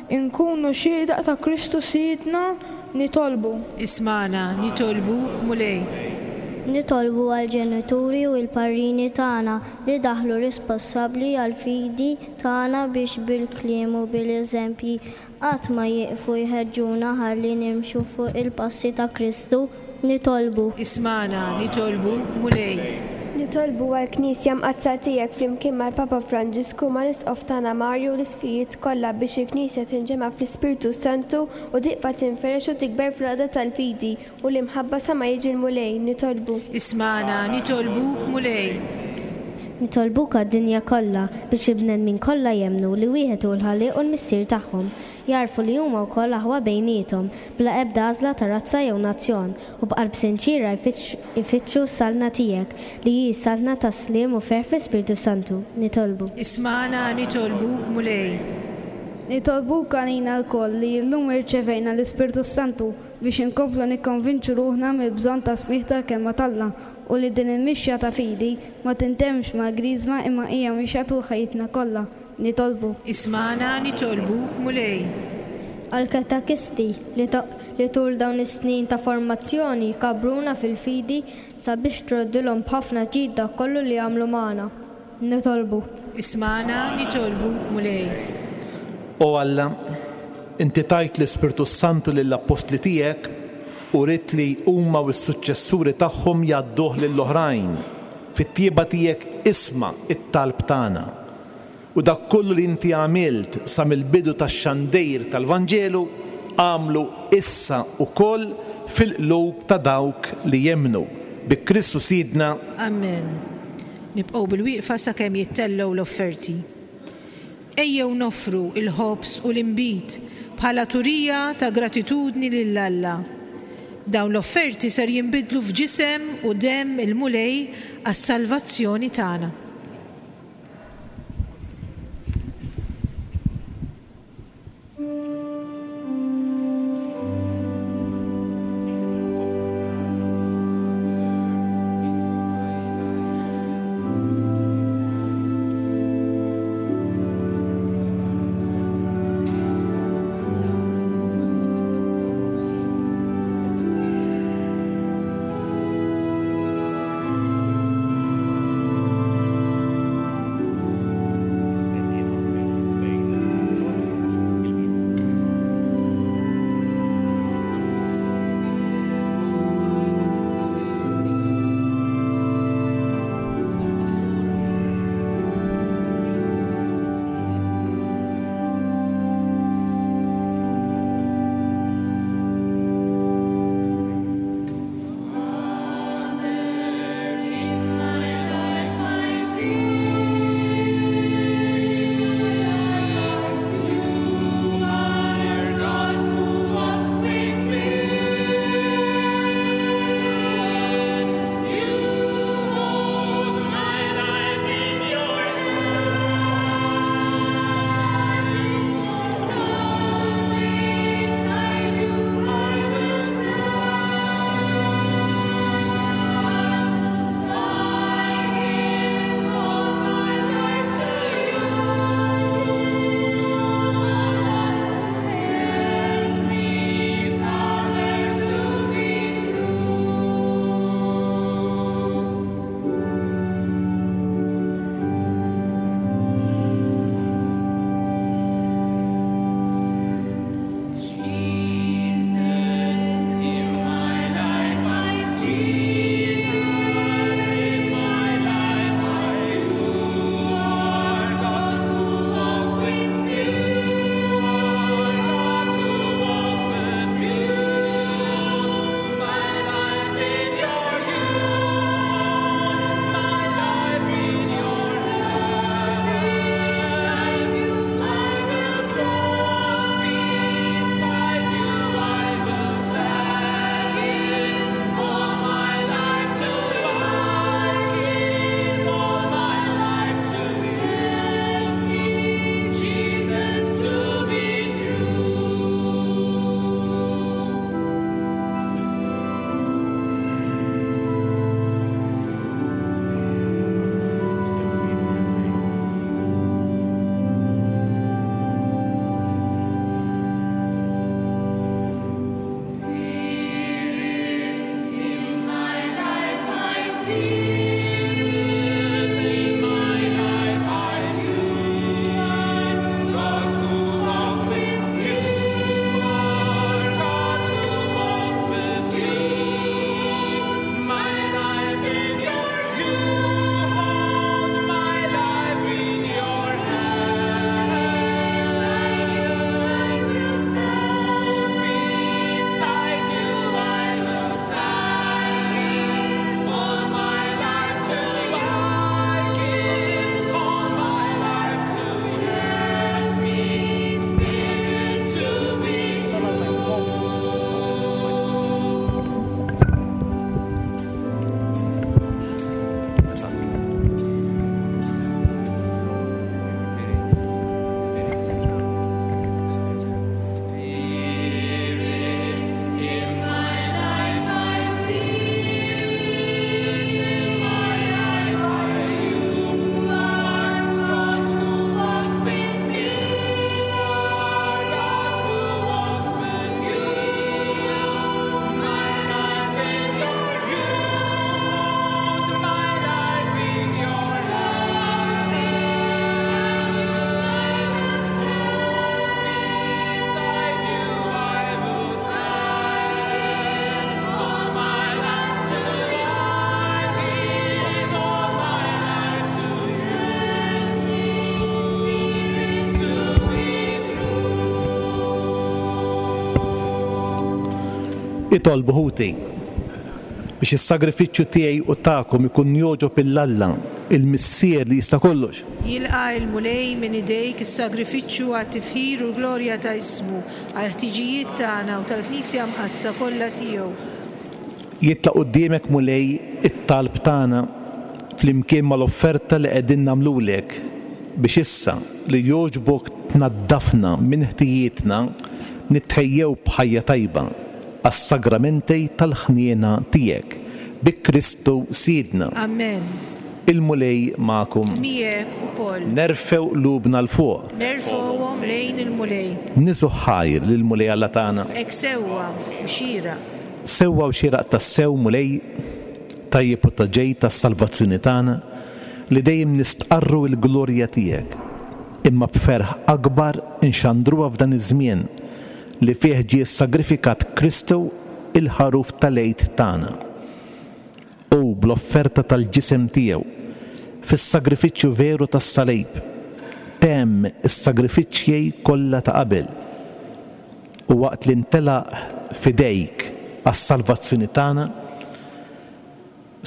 nkunu xhieda ta' Kristu Sidna, nitolbu. Ismagħna, nitolbuk, Mulej. Nitolbu għall-ġenituri u l-parrini tagħna li daħlu rispossabbli għall-fidi tagħna biex bil-kliem u bil-eżempji qatt ma jieqfu jħeġġuna ħalli nimxu fuq il-passi ta' Kristu. Nitolbu. Ismagħna, nitolbuk, Mulej. Nitolbu għall-Knisja Mqaddsa tiegħek flimkien mal-Papa Franġisku, mal-Isqof tagħna Mario u l-Isqfijiet kollha biex il-Knisja tinġema' fl-Ispirtu s-Santu u tibqa' tinfirex u tikber fl-għaqda tal-fidi u l-imħabba sa ma jiġi l-Mulej. Nitolbu. Ismagħna, nitolbuk, Mulej. Nitolbuk għad-dinja kollha, biex il-bnedmin kollha jemmnu li wieħed hu l-Ħallieq u l-Missier tagħhom, jagħrfu li huma wkoll aħwa bejniethom, bla ebda għażla ta' razza jew nazzjon, u b'qalb sinċiera jfittxu s-Saltna tiegħek, li hi s-Saltna tas-sliem u ferħ fl-Ispirtu s-Santu. Nitolbu. Ismagħna, nitolbuk, Mulej. Nitolbuk għalina lkoll li llum irċevejna l-Ispirtu s-Santu, biex inkomplu nikkonvinċu ruħna mill-bżonn tas-smigħ tal-Kelma t'Alla u li din il-mixja ta' fidi ma tintemmx mal-Griżma imma hija mixja tul ħajjitna kollha. Nitolbu. Ismagħna nitolbuk, Mulej. Għall-katekisti li li tul dawn is-snin ta' formazzjoni kabbruna fil-fidi sabiex troddilhom b'ħafna ġid dak kollu li għamlu magħna. Nitolbu. Ismagħna, nitolbuk, Mulej. O Alla, inti tajt l-Ispirtu s-Santu lill-appostli tiegħek u ridt li huma u s-suċċessuri tagħhom jgħadduh lill-oħrajn. Fit-tjieba tiegħek isma' t-talb tagħna. U dak kollu li inti għamilt sa mill-bidu tax-xandir tal-Vanġelu, agħmlu issa wkoll fil-qlub ta' dawk li jemmnu. Bi Kristu Sidna. Amen. Nibqgħu bilwieqfa sakemm jittellgħu l-offerti. Ejjew noffru l-ħobż u l-inbid bħala turija ta' gratitudni lil Alla. Dawn l-offerti ser jinbidlu f'ġisem u demm il-Mulej għas-salvazzjoni tagħna. Itolbu ħuti, biex is-sagrifiċċju tiegħi u tagħkom ikun jogħġob 'il Alla, il-Missier li jista' kollox. Jilqa' l-Mulej minn idejk is-sagrifiċċju għat-tifħir u l-glorja ta' ismu, għall-ħtiġijiet tagħna u tal-Knisja Mqaddsa kollha tiegħu. Jitla' quddiemek, Mulej, it-talb tagħna flimkien mal-offerta li qegħdin nagħmlulek, biex issa li jogħġbok tnaddafna minn ħtijietna, nitħejjew b'ħajja tajba għas-sagramenti tal-ħniena tiegħek, bi Kristu Sidna. Amen. Il-Mulej magħkom. Miegħek ukoll. Nerfgħu qlubna 'l fuq. Nerfgħuhom lejn il-Mulej. Niżgħu ħajr lill-Mulej Alla tagħna. Hekk sewwa u xieraq. Sewwa u xieraq tassew, Mulej, tajjeb u ta' ġid għas-salvazzjoni tagħna, li dejjem nistqarru l-glorja tiegħek, imma b'ferħ akbar inxandruha f'dan iż-żmien li fih ġie ssagrifikat Kristu, il-Ħaruf tal-Għid tagħna. Hu, bl-offerta tal-ġisem tiegħu, fis-sagrifiċċju veru tas-salib, temm is-sagrifiċċji kollha ta' qabel, u waqt li ntelaq f'idejk għas-salvazzjoni tagħna,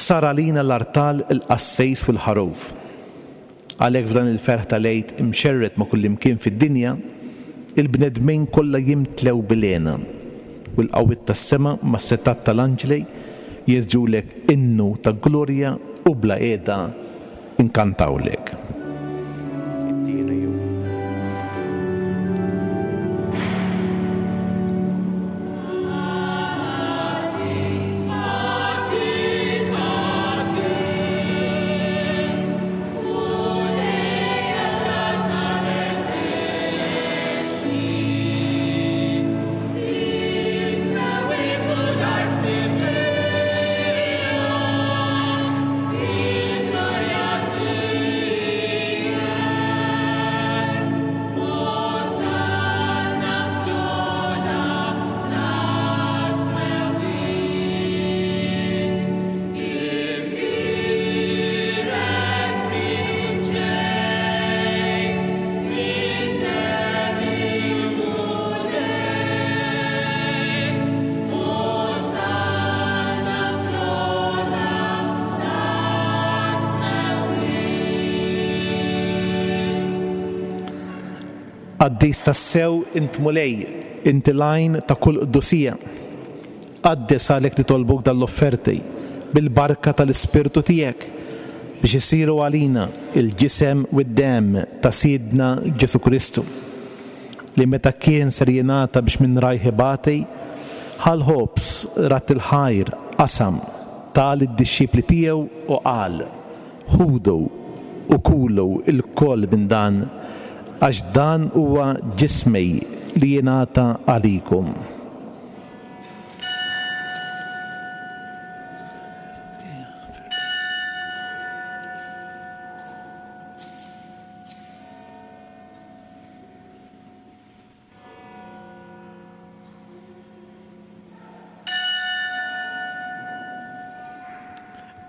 Sar għalina l-artal, il-qassejs u l-ħaruf. Għalhekk f'dan il-ferħ tal-Għid imxerred ma' kullimkien fid-dinja, il-bnedmin kollha jimtlew bil-hena, u l-qawwiet tas-sema mas-setgħat tal-anġli jeżġulek innu ta' glorja u bla qiegħda nkantawlek. Qaddis tassew int Mulej, inti l-għajn ta' kull qdusija. Qaddes għalhekk nitolbuk dan l-offerti bil-barka tal-Ispirtu tiegħek biex isiru għalina l-ġisem u d-demm ta' Sidna Ġesù Kristu. Li meta kien ser jingħata biex minn rajh ibati, ħa l-ħobż, radd il-ħajr, qasam, ta lid-dixxipli tiegħu u qal, Ħudu u kulu lkoll minn dan, għax dan huwa ġismi li jingħata għalikom.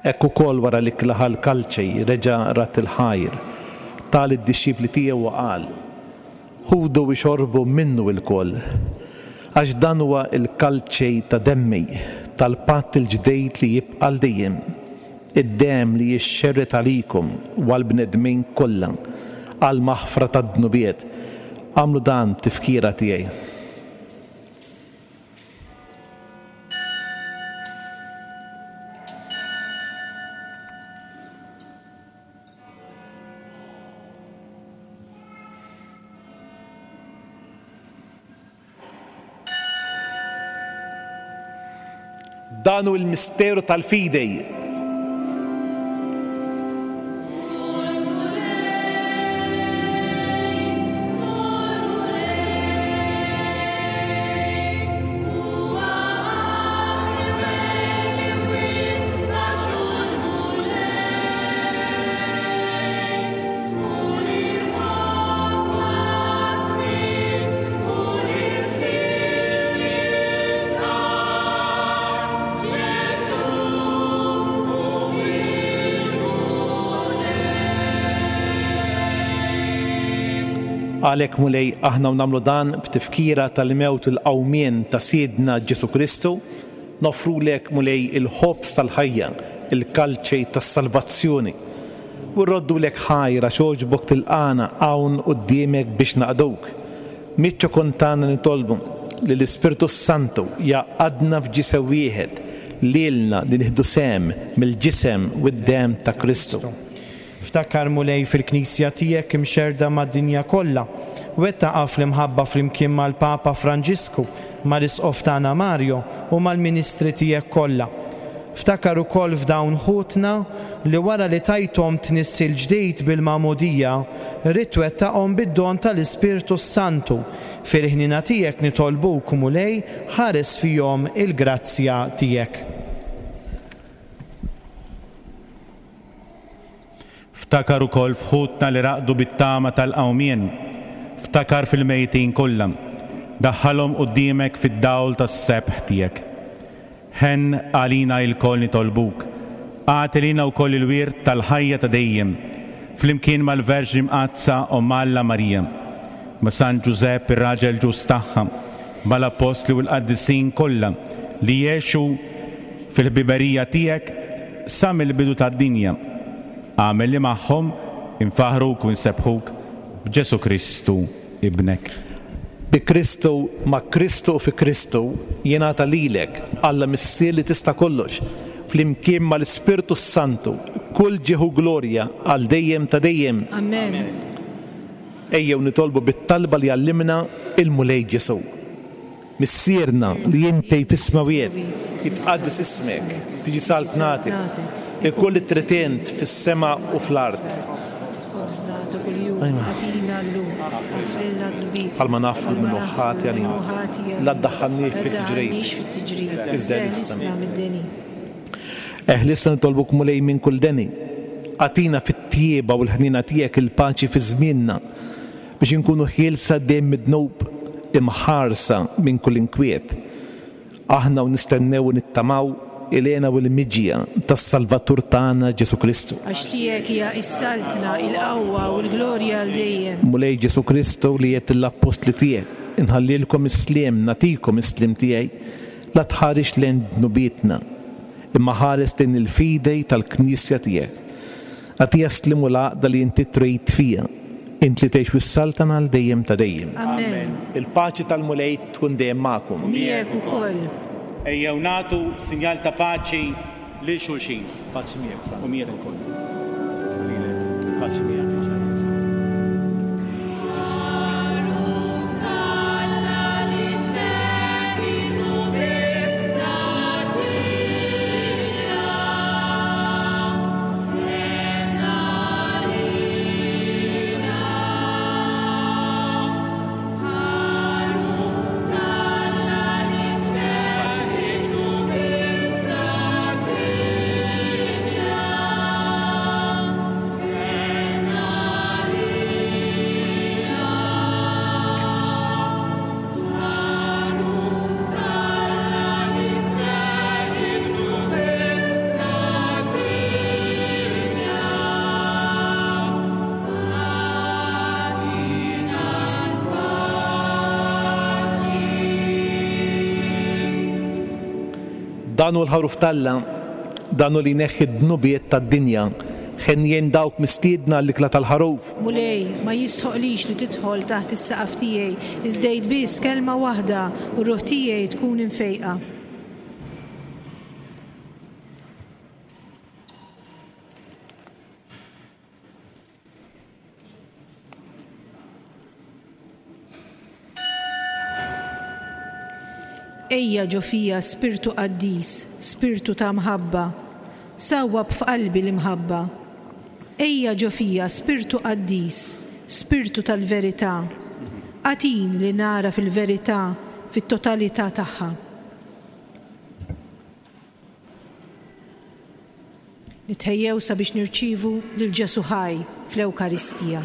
Hekk ukoll wara li klaħa l-kalċi, reġa' radd il-ħajr, ta lid-dixxipli tiegħu u qal, Ħudu u ixorbu minnu ilkoll, għax dan huwa l-kalċi ta' demmi, tal-patt il-ġdid li jibqa' għal dejjem. Id-demm li jixxerred għalikum u għall-bnedmin kollha għall-maħfra tad-dnubiet. Agħmlu dan b'tifkira tiegħi. Dan hu l-misteru tal-fidi. Għalhekk, Mulej, aħna u nagħmlu dan b'tifkira tal-mewt u l-qawmien ta' Sidna Ġesù Kristu, noffrulek, Mulej, il-ħobż tal-ħajja, il-kalċi tas-salvazzjoni, u rroddulek ħajr għax għoġbok tilqagħna hawn quddiemek biex naqduk. Miċ-ċokon tagħna nitolbu li l-Ispirtu s-Santu jgħaqqadna f'ġisem wieħed, lilna li nieħdu sehem mill-Ġisem u d-Demm ta' Kristu. Ftakar, Mulej, fil-Knisja tiegħek imxerrda mad-dinja kollha. Wettaqha fl-imħabba flimkien mal-Papa Franġisku, mal-Isqof tagħna Mario u mal-ministri tiegħek kollha. Ftakar ukoll f'dawn ħutna li wara li tajthom tnissil ġdid bil-Magħmudija, ridt twettaqhom bid-don tal-Ispirtu s-Santu. Fil-ħniena tiegħek nitolbuk, Mulej, ħares fihom il-grazzja tiegħek. Ftakar ukoll f'ħutna li raqdu bit-tama tal-qawmien. Ftakar fil-mejtin kollha. Daħħalhom quddiemek fid-dawl tas-sebħ tiegħek. Ħenn għalina ilkoll nitolbuk. Agħti lilna wkoll il-wirt tal-ħajja ta' dejjem, flimkien mal-Verġni Mqaddsa Omm Alla Marija, ma' San Ġużepp ir-raġel ġust tagħha, mal-Appostli u l-qaddisin kollha li għexu fil-ħbiberija tiegħek sa mill-bidu tad-dinja. Agħmel li magħhom infaħħruk u nsebbħuk b'Ġesù Kristu Ibnek. Bi Kristu, ma' Kristu u fi Kristu, jingħata lilek, Alla Missier li tista' kollox, flimkien mal-Ispirtu s-Santu, kull ġieħ u glorja għal dejjem ta' dejjem. Amen. Ejjew nitolbu bit-talba li għallimna il-Mulej Ġesù. Missierna li inti fis-smewwiet, jitqaddes ismek, tiġi saltnatek, ikun li trid int fis-sema u fl-art. Bħalma nagħfru min hu ħati għalina. La ddaħħalniex fit-tiġrib, iżda eħlisna mid-deni. Eħlisna nitolbuk Mulej minn kull deni. Agħtina fit-tjieba u l-ħniena tiegħek il-paċi fi żmienna. Biex inkunu ħielsa dejjem mid-dnub, imħarsa minn kull inkwiet, aħna u nistennew u nittamaw il-hena u l-miġja tas-Salvatur tagħna Ġesù Kristu. Għax tiegħek hija s-saltna, il-qawwa u l-glorja għal dejjem. Mulej Ġesù Kristu li għedt lill-appostli tiegħek, Inħallilkom is-sliem, nagħtikom is-sliem tiegħi, la tħarisx lejn dnubietna, imma ħares lejn il-fidi tal-Knisja tiegħek. Agħtiha s-sliem u l-għaqda li inti trid fiha, int li tgħix u ssaltan għal dejjem ta' dejjem. Amen. Il-paċi tal-Mulej tkun dejjem magħkom. U miegħek ukoll. Ejjew nagħtu sinjal ta' paċi lil xulxin. Paċi miegħek, Frank. U miegħek ukoll. Lilek. Paċi miegħek, Eċċellenza. Dan hu l-Ħaruf t'Alla, dan hu li jneħħi d-dnubiet tad-dinja. Henjin dawk mistiedna għall-ikla tal-Ħaruf. Mulej, ma jistħoqlix li tidħol taħt is-saqaf tiegħi, iżda għid biss kelma waħda u r-ruħ tiegħi tkun imfejqa. Ejja ġo fija Spirtu Qaddis, Spirtu ta' mħabba, sawwab f'qalbi l-imħabba. Ejja ġo fija Spirtu Qaddis, Spirtu tal-verità, agħtini li nagħraf il-verità fit-totalità tagħha. Nitħejjew sabiex nirċievu lil Ġesù ħaj fl-Ewkaristija.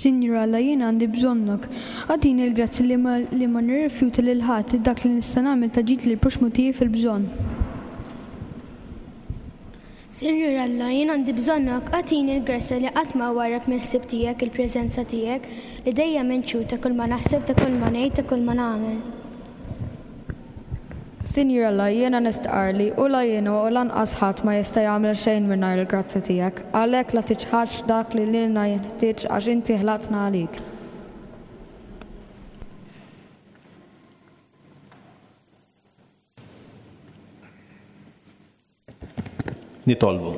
Sinjur Alla, jien għandi bżonnok. Agħtini l-grazzja li ma li ma nirrifjuta lil ħadd dak li nista' nagħmel ta' ġid lill-proxxmu tiegħi fil-bżonn. Sinjur Alla, jien għandi bżonnok, agħtini l-grazzja li qatt ma warrab mill-ħsieb tiegħek il-preżenza tiegħek, li dejjem int xhud ta' kull ma naħseb, ta' kull ma ngħid, ta' kull ma nagħmel. Sinjur Alla, jiena nistqarr li u la jien u lanqas ħadd ma jista' jagħmel xejn mingħajr il-grazzja tiegħek, għalhekk la tiċħadx dak li lilna jinħtieġ għax inti ħlaqtna għalik. Nitolbu.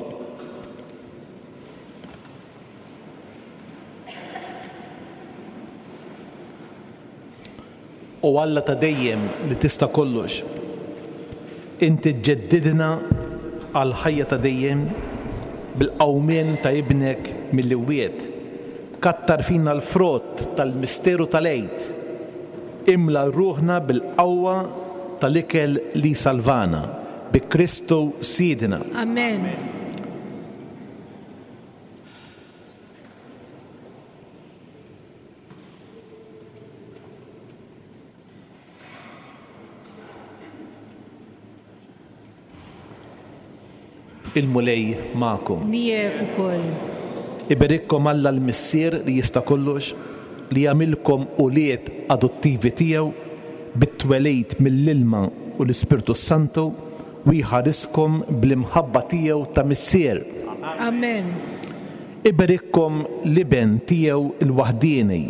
O Alla ta' dejjem li tista' kollox, inti ġġeddidna għall-ħajja ta' dejjem bil-qawmien ta' Ibnek mill-imwiet. Kattar fina l-frott tal-misteru tal-Għid. Imla ruħna bil-qawwa tal-ikel li jsalvana. Bi Kristu Sidna. Amen. Il-Mulej magħkom. Miegħek ukoll. Iberikkom Alla l-Missier li jista' kollox, li jagħmilkom ulied adottivi tiegħu bit-twelid mill-ilma u l-Ispirtu s-Santu u jħariskom bl-imħabba tiegħu ta' Missier. Amen. Iberikkom l-Iben tiegħu l-waħdieni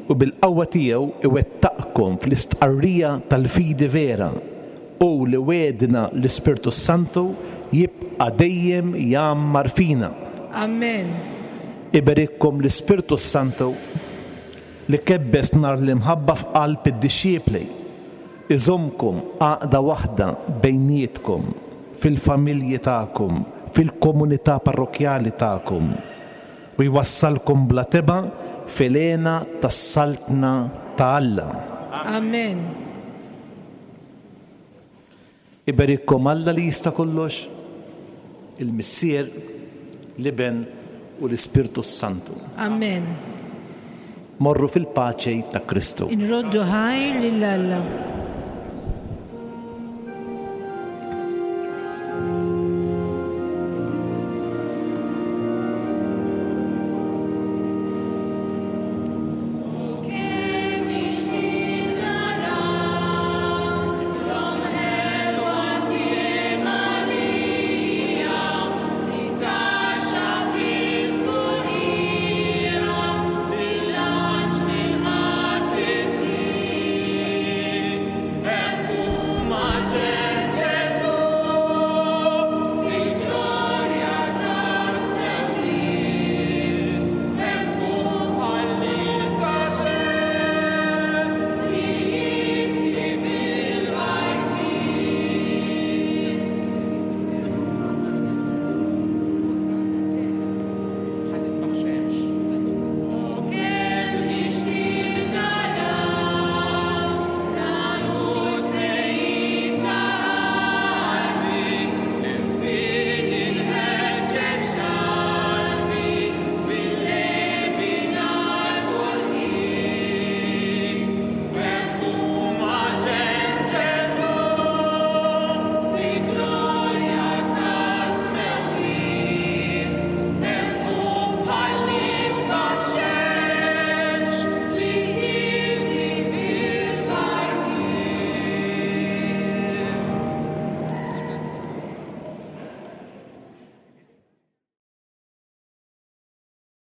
u bil-qawwa tiegħu iwettaqkom fl-istqarrija tal-fidi vera, Hu li wegħdna l-Ispirtu s-Santu jibqa' dejjem jgħammar fina. Amen. Iberikkom l-Ispirtu s-Santu li kebbes nar l-imħabba f'qalb id-dixxipli, iżommkom għaqda waħda bejnietkom, fil-familji tagħkom, fil-komunità parrokkjali tagħkom, u jwassalkom bla tebgħa fil-hena tas-Saltna ta' Alla. Amen. Iberikkom Alla li jista' kollox, il-Missier, l-Iben u l-Ispirtu s-Santu. Amen. Morru fil-paċi ta' Kristu. Inroddu ħajr lil Alla.